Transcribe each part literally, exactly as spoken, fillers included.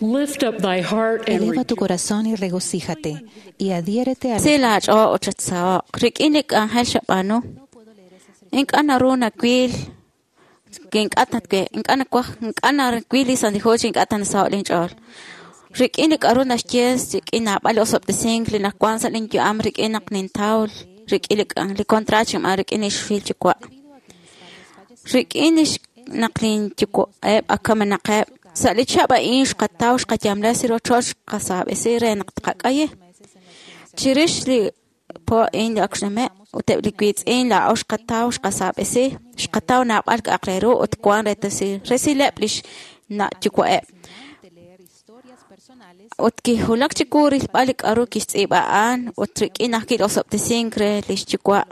Lift up thy heart and Eleva tu rejoice. corazón y regocíjate, y adhiérete a Si laach'ool ut chatsaho'q rik'in li k'anjel xab'aanu. Ink'a' naru nawil ink'a' tatwe ink'a' nawaj ink'a' nawil li Santil Hu chi ink'a' ta nasaho' linch'ool. Rik'in li k'a'ru naxye rik'in naab'al li osob'tesink li nawan sa' linyu'am rik'in naq nintaw rik'in li k'an li contrato xinb'aan rik'in li xfil yuwa'. Rik'in lix naq linyuwa'eb' ak kamenaqeb' sa' li chihab' a'in xqataw xqayamla sa' rochoch xqasaab'esi re naq tqak'ayi. Chirix li po a'in li ak xnume' ut eb' li wiitz'in laa'o xqataw xqasaab'esi xqataw naab'al k'a'aq re ru ut wan retesi resileb' lix na' yuwa'eb'. Ut kijulak chiwu rilb'al li k'a'ru kixtz'iib'a a'an ut rik'in ajwi' li osob'tesink re lix yuwa'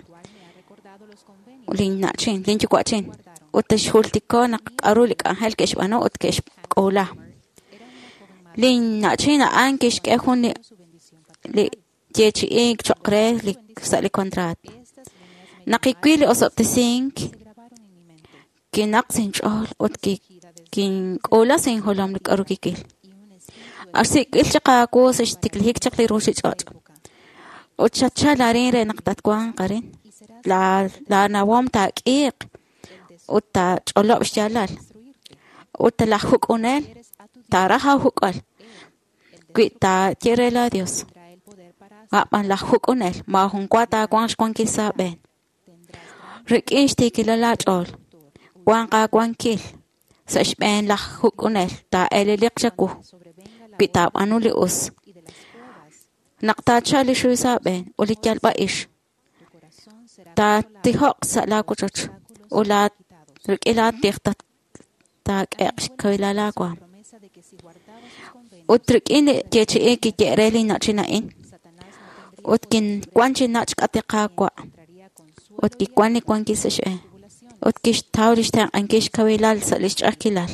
linna'chin linyuwa'chin ut xjultiko naq k'a'ru li k'anjel ke'xb'aanu ut ke'xk'uula. Linna'chin a'an kixk'e jun li li yeechi'iik cho'q re li sa' li contrato. Naq kiwil li osob'tesink kinaq sa' inch'ool ut ki kink'uula sa' injolom li k'a'ru kiwil. Ak xsik'b'il chaq aawu sa' xtiklajik chaq li ruchich'och'. Ut xatchal arin re naq tatwanq arin. La laanawom taak'iiq ut taach'olob' xyaalal. Ut laj juk'unel taaraj aajuk'al wi taaye re laa Dios. A'b'an laj juk'unel maajun wa taawanq xwankil sa' aab'een. Rik'in xtiikilal aach'ool wanq aawankil sa' xb'een laj juk'unel taa'eleliq chawu wi taab'aanu li us. Naq taachalq li xuy sa' aab'een ut li yalb'a'ix taatijoq sa' laa wochoch ut laa rik'in laatij taak'e'q xkawilal aawaam. Ut rik'in li yeechi'iik kiye' re linna'chin a'in ut kinwan chi nach' k'atiq Qaawa' ut kiwan li wankil sa' xb'een ut kixtaw lix tenq'ankil xkawilal sa' lix ch'a'ajkilal.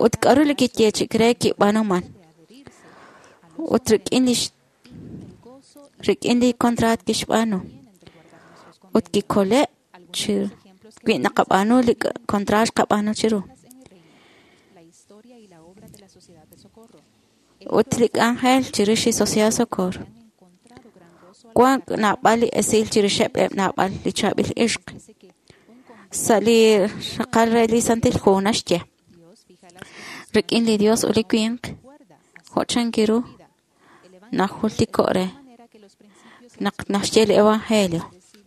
Ut k'a'ru li kiyeechi'ik re kib'aanuman. Ut rik'in lix rik'in li contrato kixb'aanu. Ut kikole' chi wi naqab'aanu li contrato xqab'aanu chiru. Ut li k'anjel chirix li Sociedad Socorro. Wan naab'al li esil chirixeb' eb' naab'al li chaab'il ixq. Sa' li raqal re li Santil Hu naxye. Rik'in li Dios ut li winq jo' chankiru najultiko' re naq naxye li Evangelio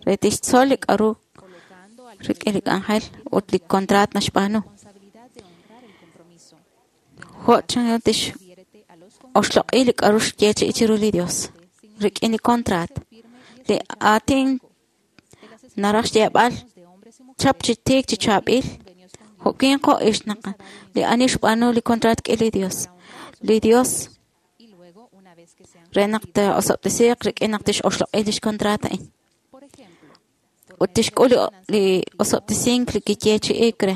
re tixtzol li k'a'ru rik'in li k'anjel ut li contrato naxb'aanu. Jo' chanru tix oxloq'i li k'a'ru xyeechi'i chiru li Dios rik'in li contrato. Li aatin naraj xyeeb'al chap chi tiik chi chaab'il jo' winq jo' ixq naq li ani xb'aanu li contrato rik'in li Dios. Li Dios re naq taa'osob'tesiiq rik'in naq tix'oxloq'i lix contrato a'in. Ut tixk'ul li osob'tesink li kiyeechi'iik re.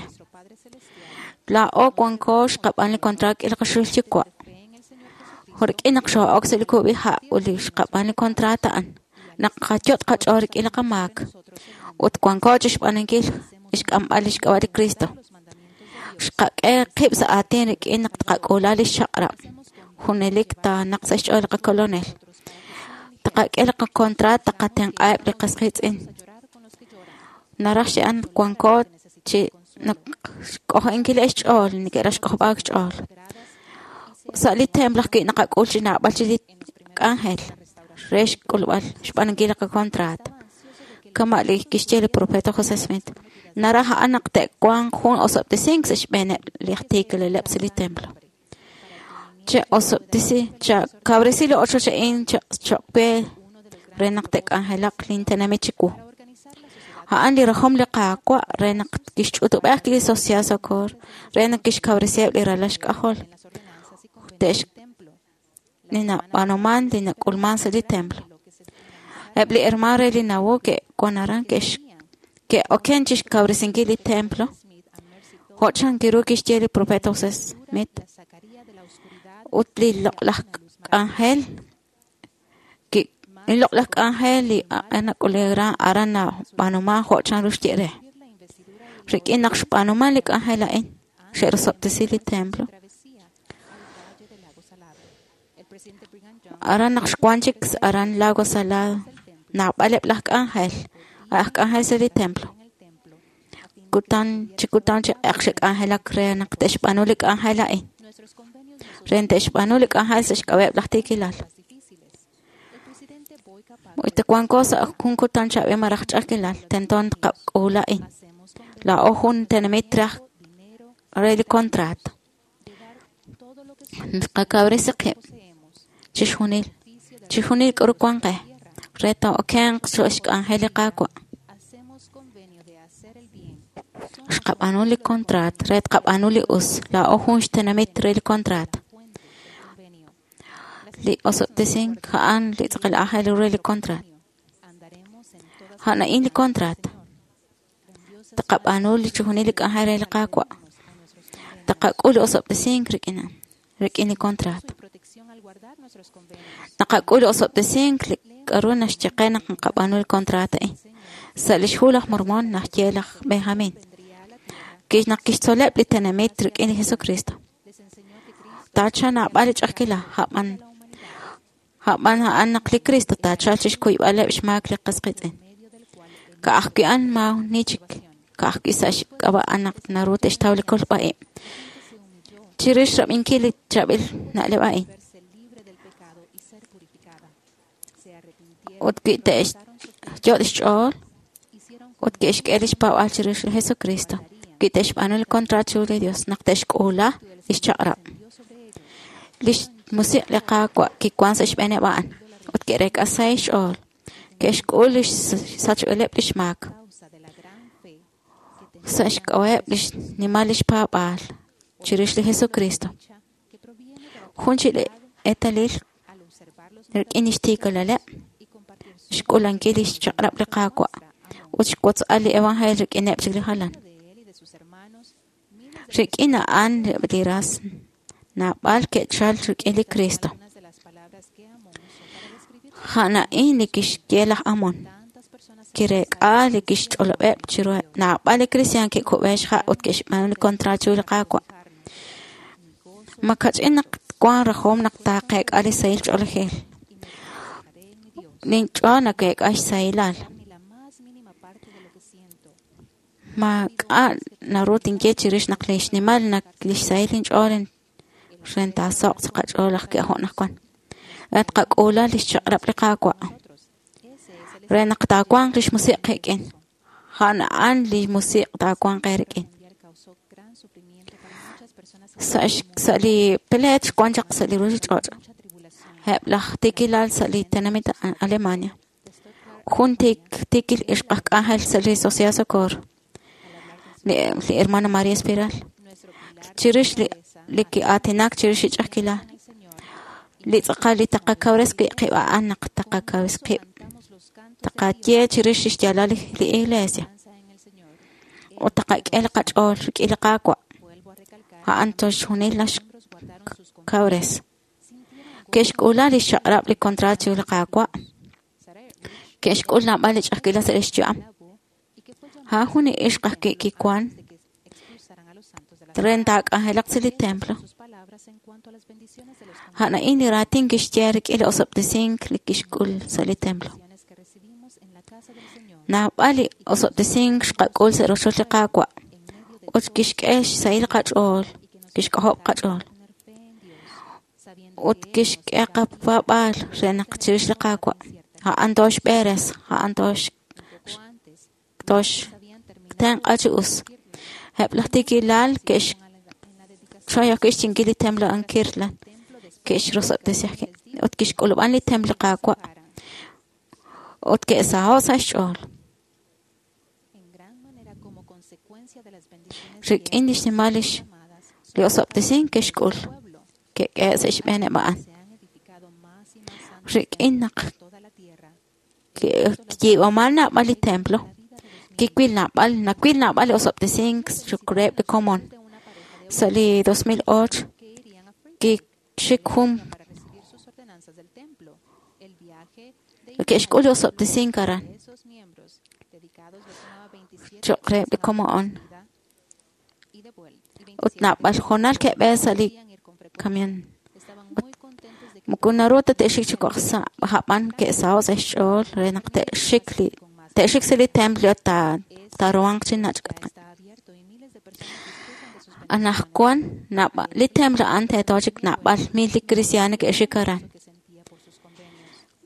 Laa'o wanko xqab'aan li contrato rik'in li qaxul yuwa'. Jo' rik'in naq xoo'ok sa' li kub'iha' ut li xqab'aan li contrato a'an. Naq qayot' qach'ool rik'in li qamaak. Ut wanko chixb'aanunkil xk'amb'al lix k'ab'a' li Cristo. Xqak'e qib' sa' aatin rik'in naq tqak'uula lix chaq'rab'. Junelik taanaq sa' xch'ool li qakolonel. Taqak'e li qacontrato taqatenq'aheb' li qas qiitz'in. Naraj xye'an wanko chi naq xk'ojo'inkileb' xch'ool neke'raj xk'ojob'aak xch'ool. Sa' li templo ajwi' naqak'ul chi naab'al chi li k'anjel re xk'ulb'al xb'aanunkil li qacontrato. Kama' li kixye li profeta José Smith. Naraj a'an naq te'wanq jun osob'tesink sa' xb'eeneb' li aj tiikilaleb' sa' li templo. Che'osob'tesi chakawresi li ochoch a'in cho'q we re naq te'k'anjelaq lintenamit chiwu. A'an li rajom li Qaawa' re naq kixch'utub'ej li Sociedad Socorro re naq kixkawresiheb' li ralal xk'ajol. Te'x li nab'aanuman li nak'ulman sa' li templo. Eb' li hermano re li nawu ke'wan aran ke'x ke'oken chixkawresinkil li templo. Jo' chankiru kixye li profeta José Smith. Ut li loq'laj k'anjel ki li loq'laj k'anjel li nak'ulera aran nab'aanuman jo' chanru xye re. Rik'in naq xb'aanuman li k'anjel a'in xe'rosob'tesi li templo. Aran naq xwan chik aran Lago Salado, naab'aleb' laj k'anjel, aj k'anjel sa' li templo. Kutan chi kutan chi q'eq xe'k'anjelak re naq te'xb'aanu li k'anjel a'in. Re te'xb'aanu li k'anjel sa' xk'ab'a'eb' laj tiikilal. Ut wanko sa' jun kutan chaab'il malaj ch'a'ajkilal, tento tqak'uula a'in. Laa'o jun tenamit raj re li contrato. Tqakawresi qib' chixjunil, chixjunil k'aru wan qe re taa'okenq sa' xk'anjel li Qaawa'. Xqab'aanu li contrato re tqab'aanu li us. Laa'o jun xtenamit re li contrato. Li osob'tesink a'an li tz'aqal aajel ru re li contrato. A'an a'in li contrato. Tqab'aanu li chixjunil li k'anjel re li Qaawa'. Tqak'ul li osob'tesink rik'in rik'in li contrato. Naqak'ul li osob'tesink li k'aru naxye qe naq naqab'aanu li contrato a'in. Sa' lix hu laj Mormon naxye laj Benjamin naq kixtzoleb' li tenamit rik'in li Jesucristo. Taachalq naab'al li ch'a'ajkilal, a'b'an a'b'an a'an naq li Cristo taachalq chixkuyb'aleb' xmaak li qas qiitz'in. Ka'ajwi' a'an maani chik, ka'ajwi' sa' xk'ab'a' a'an naq naru te'xtaw li kolb'a-ib'. Chirix rab'inkil li chaab'il na'leb' a'in. Ut wi te'xyot' xch'ool ut ke'xk'e lix paab'aal chirix li Jesucristo, wi te'xb'aanu li contrato chiru li Dios naq te'xk'uula lix chaq'rab'. Lix musiq' li Qaawa' kiwan sa' xb'eeneb' a'an ut ke'reek'a sahil xch'ool. Ke'xk'ul lix sachb'ileb' lix maak sa' xk'ab'a'eb' lix nimal lix paab'aal chirix li Jesucristo. Jun chik li eetalil rik'in lix tiikalaleb', xk'ulankil lix chaq'rab' li Qaawa' ut xwotz'al li evangelio rik'ineb' chik li jalan. Rik'in a'an li ras naab'al ke'chal rik'in li Cristo. A'an a'in li kixye laj Amon. Kireek'a li kixch'olob'eb' chiruheb' naab'al li kristiaan ke'kub'e xha' ut ke'xb'aanu li contrato chiru li Qaawa'. Makach'in naq wan rajom naq taaqeek'a li sahil ch'oolejil. Linch'ool nakeek'a xsahilal. Maak'a' naru tinye chirix naq li xnimal naq lix sahil inch'ool re taasoq' sa' qach'ool ajwi' jo' naq wan. Re tqak'uula lix chaq'rab' li Qaawa'. Re naq taawanq lix musiq' qik'in. A'an a'an li musiq' taawanq eerik'in. Sa' sa' li pleet xwan chaq sa' li ruchich'och'. Eb' laj tiikilal sa' li tenamit Alemania. Jun tiikil ixq aj k'anjel sa' li Sociedad Socorro. Li, li hermana María Espiral. Chirix li li ki'aatinak chirix li ch'a'ajkilal. Li tz'aqal li taqakawres wi' qib' a'an naq taqakawres qib'. Taqaye chirix lix yaalal li iglesia. Ut taqak'e li qach'ool rik'in li Qaawa'. A'an toxjunil naxkawres. Ke'xk'uula lix chaq'rab' li contrato chiru li Qaawa'. Ke'xk'ul naab'al li ch'a'ajkilal sa' lix yu'am. A'an jun li ixq ajwi' kiwan re taak'anjelaq sa' li templo. A'an a'in li raatin kixye rik'in li osob'tesink li kixk'ul sa' li templo. Naab'al li osob'tesink xqak'ul sa' rochoch li Qaawa' ut kixk'e xsahil qach'ool, kixk'ojob' qach'ool. Ut kixk'e qapaab'aal re naq chirix li Qaawa'. A'an toxb'eres, a'an tox tox tenq'a chi us. Eb' laj tiikilal ke'xchoy ajwi' xchinkil li templo an Kirtland, ke'xrosob'tesi ajwi' ut kixk'ulub'an li templo Qaawa' ut ke'saho' sa' xch'ool. Rik'in lix nimal lix li osob'tesink ke'xk'ul ke'k'ehe' sa' xb'eeneb' a'an. Rik'in naq kiyiib'aman naab'al li templo, kiwil naab'al, nawil naab'al li osob'tesink choq' reheb' li komon. Sa' li dos mil ocho kixik jun ke'xk'ul li osob'tesink aran choq' reheb' li komon. Ut naab'al hoonal ke'b'e sa' li camión. Moko naru ta te'xik chi kok' sa' a'b'an ke'saho' sa' xch'ool re naq te'xik li te'xik sa' li templo ta taaruhanq chi nach' Anaqwan naab'al li templo a'an teeto chik naab'al mil li kristiaan neke'xik aran.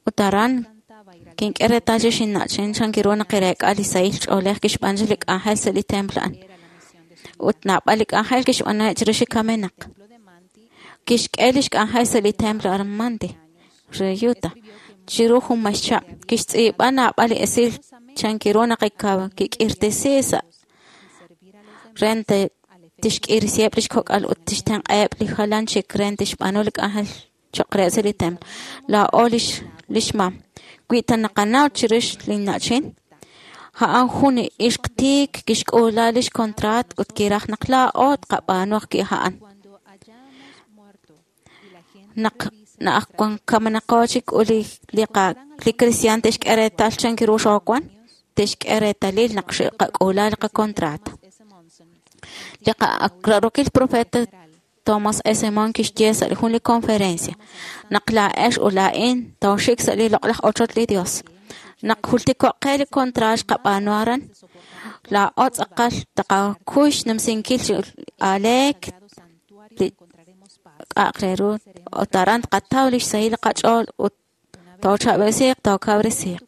Ut aran kink'e reetal chi xinna'chin chan ru naq kireek'a li sahil ch'oolej kixb'aanu li k'anjel sa' li templo a'an. Ut naab'al li k'anjel kixb'aanu chirix li kamenaq. Kixk'e lix k'anjel sa' li templo aran Manti, re Utah. Chiru jun may chihab', kixtz'iib'a naab'al li esil chan ru naq kik'irtesi sa' re tixk'irisiheb' lix kok'al ut tixtenq'aheb' li jalan chik re tixb'aanu li k'anjel cho'q re sa' li templo. Laa'o lix lix mam. Wi ta naqanaw chirix li na'chin, a'an jun ixq tiik kixk'uula lix contrat ut kiraj naq laa'o tqab'aanu ajwi' a'an. Naq naq kamenaqo chik ut li li qa li kristiaan te'xk'e reetal chan ru xoowan, te'xk'e reetalil naq xqak'uula li qacontrato. Li qararokil profeta Thomas S. Monson kixye sa' jun li conferencia naq laa'ex ut laa'in tooxik sa' li loq'laj ochoch li Dios. Naq jultiko'q qe li contrato xqab'aanu aran, laa'o tz'aqal taqakuy xnumsinkil chi aleek li k'a'aq re ru ut aran tqataw lix sahil li qach'ool ut toochab'esiiq tookawresiiq.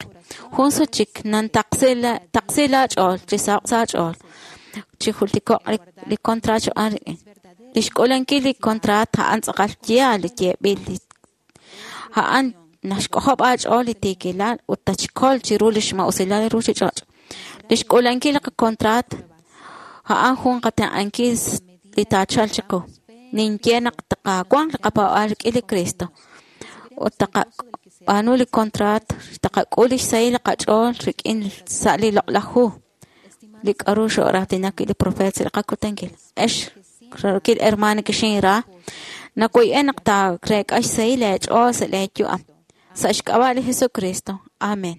Jun sut chik nantaqsi la taqsi laach'ool chi saho'q sa' aach'ool chi jultiko'q li li contrato xb'aan rik'in. Lix k'uulankil li contrato a'an tz'aqal yaal li yeeb'il li a'an naxk'ojob' aach'ool li tiikilal ut tatxkol chiru lix ma'usilal li ruchich'och'. Lix k'uulankil li qacontrato a'an jun qatenq'ankil li taachalq chiqu. Ninye naq taqawanq li qapaab'aal rik'in li Cristo ut taqab'aanu li contrato, taqak'ul lix sahil li qach'ool rik'in sa' li loq'laj hu li k'a'ru xo'raatinak wi' li profeet sa' li qakutankil. Ex rarokil hermano kixinra, nawoy'e naq taareek'a xsahil eech'ool sa' lee yu'am. Sa' xk'ab'a' li Jesucristo. Amén.